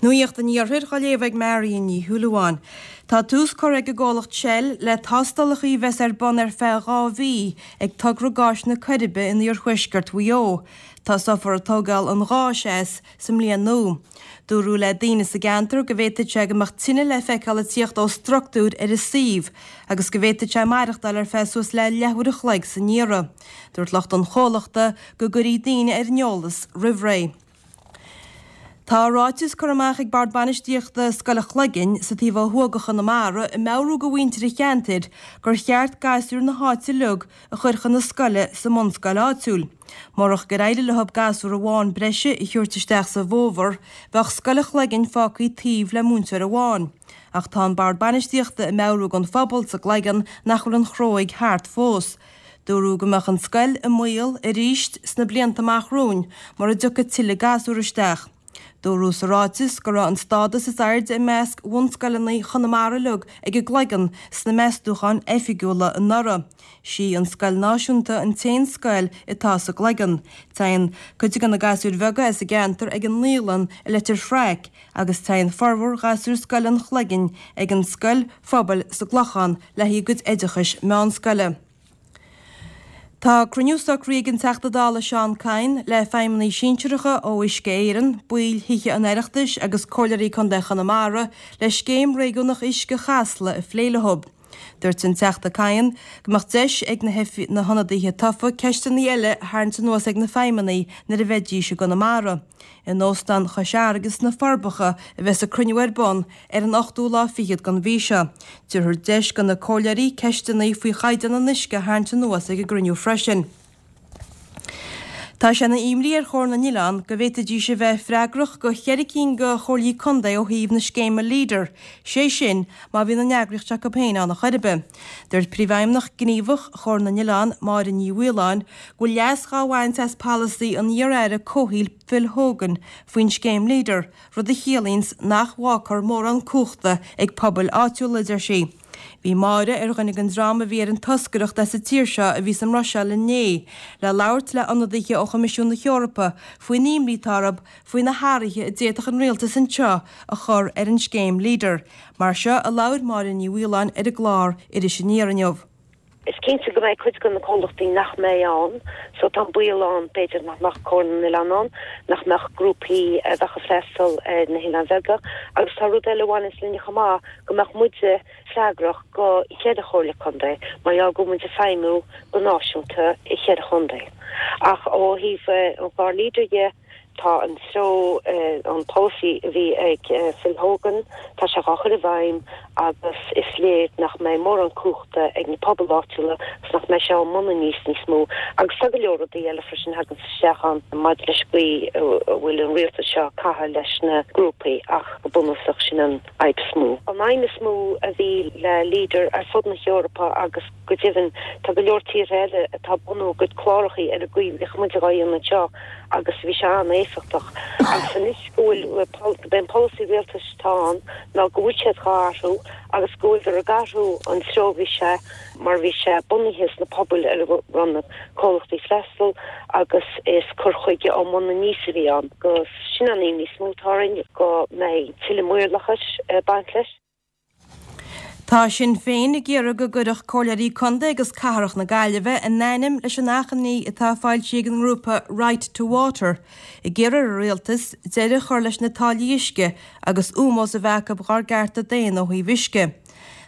Nuacht an Iarthair á léamh ag Marion Ní Shúilleabháin. Tá tús curtha ag an gcomhlacht Shell le tástálacha a bheas ar bun ar feadh 2 mhí ag togra gáis na Coiribe in iarthuaisceart Mhaigh Eo. Tosófar ag tógáil an gháis as sa mbliain nua. Dúradh le daoine sa gceantar go bhféadfadh sé go mbeadh tine le feiceáil ag tíocht ó structúr ar an suíomh agus go bhféadfadh sé maireachtáil ar feadh suas le leathuair a chloig san iarraidh. Dúirt lucht an chomhlachta go gcuirfí daoine ar an eolas roimh ré. Tá ráiteas curtha amach ag Bord Bainistíochta Scoil an Chloiginn sa taobh ó thuaidh de Chonamara ag meabhrú do mhuintir an cheantair gur cheart gasúir na háite uilig a chur chun na scoile sa mbunscoil áitiúil. Murach gur éirigh leo gasúr amháin breise a thabhairt isteach sa bhfómhar, bheadh Scoil an Chloiginn fágtha taobh le múinteoir amháin. Ach tá an Bord Bainistíochta ag meabhrú don phobal sa gCloigeann nach bhfuil an chróig thart fós. Dúradh go mbeadh an scoil i mbaol arís sna blianta amach romhainn mura dtiocfaidh tuilleadh gasúr isteach. Dúradh sa ráiteas go raibh an stádas is airde i measc bhunscoileanna Chonamara uilig ag an gCloigeann sna meastúcháin oifigiúla anuraidh. Sí an scoil náisiúnta an t-aon scoil atá sa gCloigeann. Téann cuid de na gasúir bheaga as an gceantar ag an naíolann i Leitir Fraic agus téann formhór ghasúir Scoil an Chloiginn ag an scoil phobail sa gClochán le haghaidh a gcuid oideachais meánscoile. Tá cruinniú socraithe ag an Teachta Dála Seán Kyne le feidhmeannaigh sinsearacha ó Uisce Éireann, baill Thithe an Oireachtais agus Comhairleoirí Contae Chonamara le Scéim Réigiúnach Uisce Chasla a phlé leo. Dúirt an Teachta Kyne go mbeadh deis ag na na hionadaithe tofa ceisteanna eile a tharraingt anuas ag na feidhmeannaigh nuair a bheidís i gConamara. In Óstán Chois Fharraige sna Forbacha a bheas an cruinniú ar bun ar an ochtú lá fichead den mhí seo. Tabharfar deis do na comhairleoirí ceisteanna faoi chaighdeán an uisce a tharraingt anuas ag an gcruinniú freisin. Tá sé ina imní ar Chomhar na nOileán go bhféadfaidís a bheith freagrach do cheithre cinn de chomhairlí contae ó thaobh na scéime Leader, sé sin má bhíonn an eagraíocht s'acu féin ann a chor ar bith. Dúirt Príomhfheidhmeannach Gníomhach Chomhar na nOileán, Máire Ní Mhaoláin, go bhfuil leas dhá bhaint as polasaí an iar-aire comhshaoil Phil Hogan faoin scéim Leader, rud a chiallaíonns nach bhfágfar mórán cumhachta ag pobail áitiúla, a deir sí. Bhí Máire ar dhuine den dream a bhí ar an toscaireacht as an tír seo a bhí sa mBruiséil inné le labhairt le ionadaithe ó Choimisiún na hEorpa faoin imní atá orthu faoi na hathruithe a d'fhéadfadh an rialtas anseo a chur ar an scéim Leader. Mar seo a labhair Máire Ní Mhaoláin ar an gclár Iris Aniar inniu. Is cinnte go mbeidh cuid de na comhlachtaí nach mbeidh ann, so tá an baol ann b'fhéidir nach mbeadh Comhar na nOileán ann, nach mbeadh grúpaí a bheadh ag freastal ar na hoileáin bheaga agus tá rud eile a bhaineas linne chomh maith, go mbeadh muide freagrach go cheithre chomhairle contae mar gheall go bhfuil muid ag feidhmiú go náisiúnta i cheithre chontae. Ach ó thaobh an chlár Leader dhe, Tá an treo, an polasaí a bhí ag Phil Hogan, tá sé dhá chur i bhfeidhm agus is léir nach mbeidh mórán cumhachta ag na pobail áitiúla agus nach mbeidh sé ón mbun aníos níos mó. Agus tá go leor rudaí eile freisin a thaganns isteach ann maidir leis an gcaoi a bhfuil an rialtas seo ag caitheamh leis na grúpaí ach go bunúsach sin an fhadhb is mó. An aidhm is mó a bhí le Leader ar fud na hEorpa agus Go deimhin, tá go leor tíortha eile atá ag bunú a gcuid clárachaí ar an gcaoi a bhíodh muid dhá dhéanamh anseo agus bhí sé an-éifeachtach. Agus anois go bhfuil, gurb é an polasaí rialtais atá ann ná go bhfuil siad dhá athrú agus go bhfuiltear ag athrú an treo a bhí sé mar bhí sé bunaithe sna pobail ar a raibh na comhlachtaí freastal agus is cur chuige ón mbun aníos a bhí ann. Agus sin an imní is mó atá orainn, go mbeidh tuilleadh maorlathais ag baint leis. Tá Sinn Féin ag iarraidh go gcuirfeadh Comhairleoirí Contae agus Cathrach na Gaillimhe a n-ainm leis an achainí atá foilsithe ag an ngrúpa Right to Water ag iarraidh ar an Rialtas deireadh a chur leis na táillí uisce agus ómós a bheith acu dhár gcearta daonna ó thaobh uisce.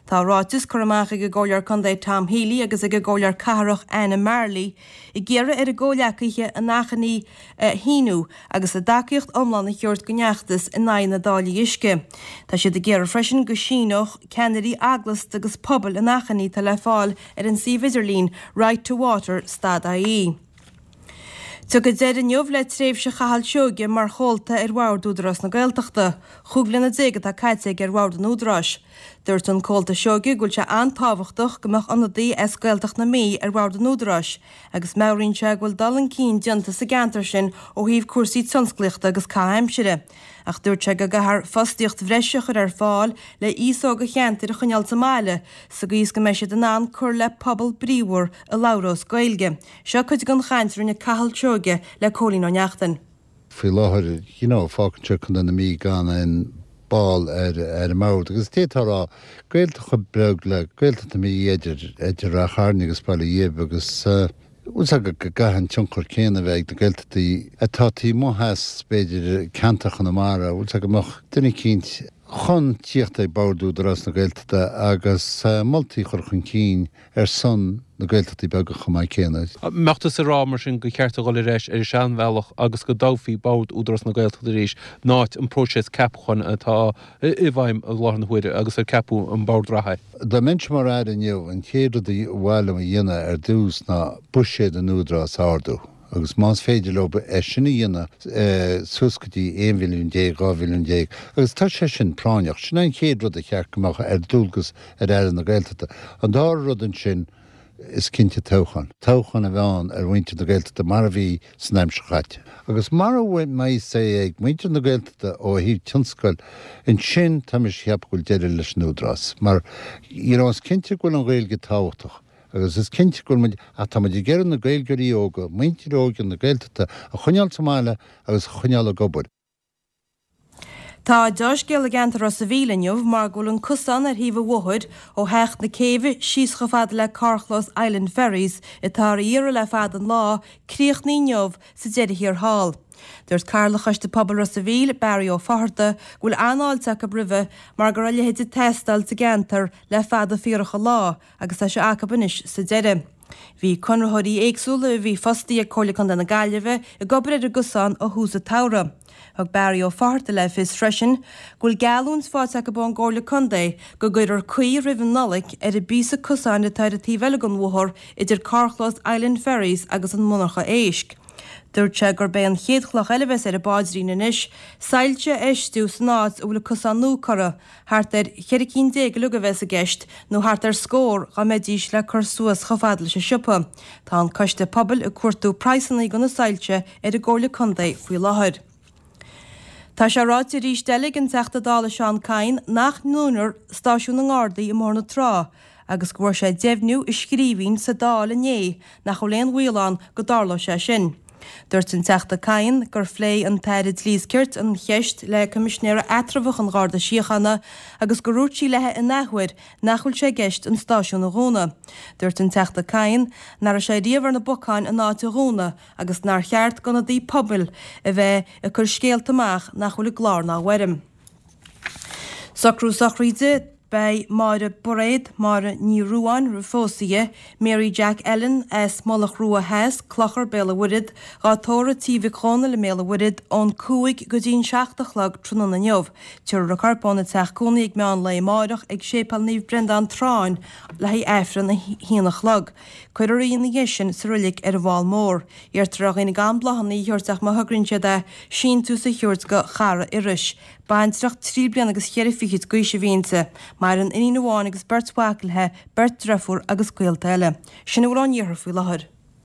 Tá ráiteas curtha amach ag an gComhairleoir Contae Tom Healy agus ag an gComhairleoir Cathrach Anna Marley ag iarraidh ar a gcomhghleacaithe an achainí a shíniú agus a dtacaíocht iomlán a thabhairt don fheachtas in aghaidh na dtáillí uisce. Tá siad ag iarraidh freisin go síneodh ceannairí eaglasta agus pobail an achainí atá le fáil ar an suíomh idirlín righttowater stad ie. Tiocfaidh deireadh inniu le tréimhse Chathail Seoighe mar chomhalta ar bhord Údarás na Gaeltachta. 15 bliana atá caite aige ar bhord an Údaráis. Dúirt an Comhalta Seoighe go bhfuil sé an-tábhachtach go mbeadh ionadaí as Gaeltacht na Mí ar bhord an Údaráis agus meabhraíonn sé go bhfuil dul chun cinn déanta sa gceantar sin ó thaobh cúrsaí tionsclaíochta agus caitheamh aimsire. Ach dúirt sé go gcaithfear fostaíocht bhreise a chur ar fáil le aos óg an cheantair a choinneáil sa mbaile sa gcaoi is go mbeidh siad in ann cur le pobal bríomhar a labhrós Gaeilge. Seo cuid den chaint a rinne Cathal Seoighe le Cóilín Ó Neachtain. Faoi láthair, you know, fágann sé Contae na Mí gan aon ball ar ar an mbord agus d'fhéadfá a rá Gaeltacht chomh beag le Gaeltacht na Mí idir idir Ráth Chairn agus Baile Ghib agus bhfuil 's agat go gcaithfidh an tionchar céanna a bheith ag na Gaeltachtaí atá taobh amuigh as b'fhéidir ceantar Chonamara, bhfuil 's agat go mbeadh duine eicínt chun tíocht ag Bord Údarás na Gaeltachta agus moltaí a chur chun cinn ar son na Gaeltachtaí beaga chomh maith céanna. Mbeadh tusa ag rá mar sin gur cheart a dhul ar ais ar an seanbhealach agus go dtoghfaí Bord Údarás na Gaeltachta arís in áit an próiseas ceapacháin atá i bhfeidhm i láthair na huaire agus ar ceapadh an Bord reatha é? Dá mbeinnse mar Aire inniu, an chéad rud a mhaith liom a dhéanamh ar dtús ná buiséad an Údaráis a ardú. Agus más féidir leo é sin a dhéanamh suas go dtí 11 mhilliún, 12 mhilliún, agus tá sé sin práinneach, sin é an chéad rud a cheart go mbeadh ar dualgas ar Aire na Gaeltachta. An dara rud ansin, is cinnte toghchán. Toghchán a bheith ann ar mhuintir na Gaeltachta mar a bhí san aimsir chaite. Agus mara mbeidh say ag muintir na Gaeltachta ó thaobh tionscail, ansin tá mise ag ceapadh go bhfuil deireadh leis an Údarás. Mar, you know, is cinnte go bhfuil an Ghaeilge tábhachtach. Agus is cinnte go bhfuil muid, ach tá muid ag iarraidh na Gaeilgeoirí óga, muintir óige na Gaeltachta a choinneáil sa mbaile agus a choinneáil ag obair. Tá deá-scéal i gceantar Ros a' Mhíl inniu mar go bhfuil an cosán ar thaobh an bhóthair ó Theach na Céibhe síos chomh fada le carrchlós Island Ferries, atá ar iarraidh le fada an lá, críochnaithe inniu sa deireadh thiar thall. Dúirt Cathaoirleach Choiste Pobail Ros a' Mhíl, Barry Ó Fátharta, go bhfuil an-fháilte acu roimhe mar go raibh a leithéid ag teastáil sa gceantar le fada fíorach an lá agus tá sé acu anois sa deireadh. Bhí conraitheoirí éagsúla a bhí fostaithe ag Comhairle Contae na Gaillimhe ag obair ar an gcosán ó thús an tsamhraidh. Thug Barry Ó Fátharta le fios freisin go bhfuil geallúint faighte acu ón gComhairle Contae go gcuirfear caoi roimh an Nollaig ar an bpíosa cosáin atá ar an taobh eile den bhóthar idir carrchlós Island Ferries agus an mhonarcha éisc. Dúirt sé gurb é an chéad chloch eile a bheas ar an bpaidrín anois, soilse a fheistiú san áit a bhfuil an cosán nua curtha, Thart ar cheithre cinn déag uilig a bheas i gceist, nó thart ar scór dá mbeidís le cur suas chomh fada leis an siopa. Tá an coiste pobail ag cuartú praghsanna do na soilse ar an gComhairle Contae faoi láthair. Tá sé ráite arís eile ag an Teachta Dála Seán Kyne nach ndúnfar stáisiún na nGardaí i mBóthar na Trá agus go bhfuair sé deimhniú i scríbhinn sa Dáil inné nach bhfuil aon bhaol ann go dtarlóidh sé sin. Dúirt an Teachta Kyne gur phléigh an tAire Dlí is Cirt an cheist le Coimisinéara Eatramhach an Gharda Síochána agus gur dhúirt sí léi in athuair nach bhfuil sé i gceist an stáisiún a dhúnadh. Dúirt an Teachta Kyne nach raibh sé riamh ar na bacáin an áit a dhúnadh agus nár cheart d'ionadaí pobail a bheith ag cur scéalta amach nach bhfuil i gclár ná i bhfoirm. Socrú sochraide Beidh Máire Bairéad, Máire Ní Ruadháin roimh phósadh di, Mary Jack Ellen as Mullach Rua Theas, Clochar, Béal an Mhuirthead, dhá tórramh Tí Mhic Dhónaill i mBéal an Mhuirthead ón 5 go dtí an 7 a chlog tráthnóna inniu. Tabharfar a corp óna teach cónaí ag meán lae amáireach ag Séipéal Naomh Breandán Tráinn le haghaidh Aifreann a haon a chlog. Cuirfear í ina dhiaidh sin sa roilig ar an bhFál Mór. Iarrtar ar dhaoine gan bláthanna a thabhairt ach má thograíonn siad é, síntiús a thabhairt go Chara Iorrais. Baintreach trí bliana agus cheithre fichid d'aois a bhí inti. Maireann iníon amháin agus beirt mhac léi, beirt driofúr agus gaolta eile. Sin a bhfuil ón iarthar faoi láthair.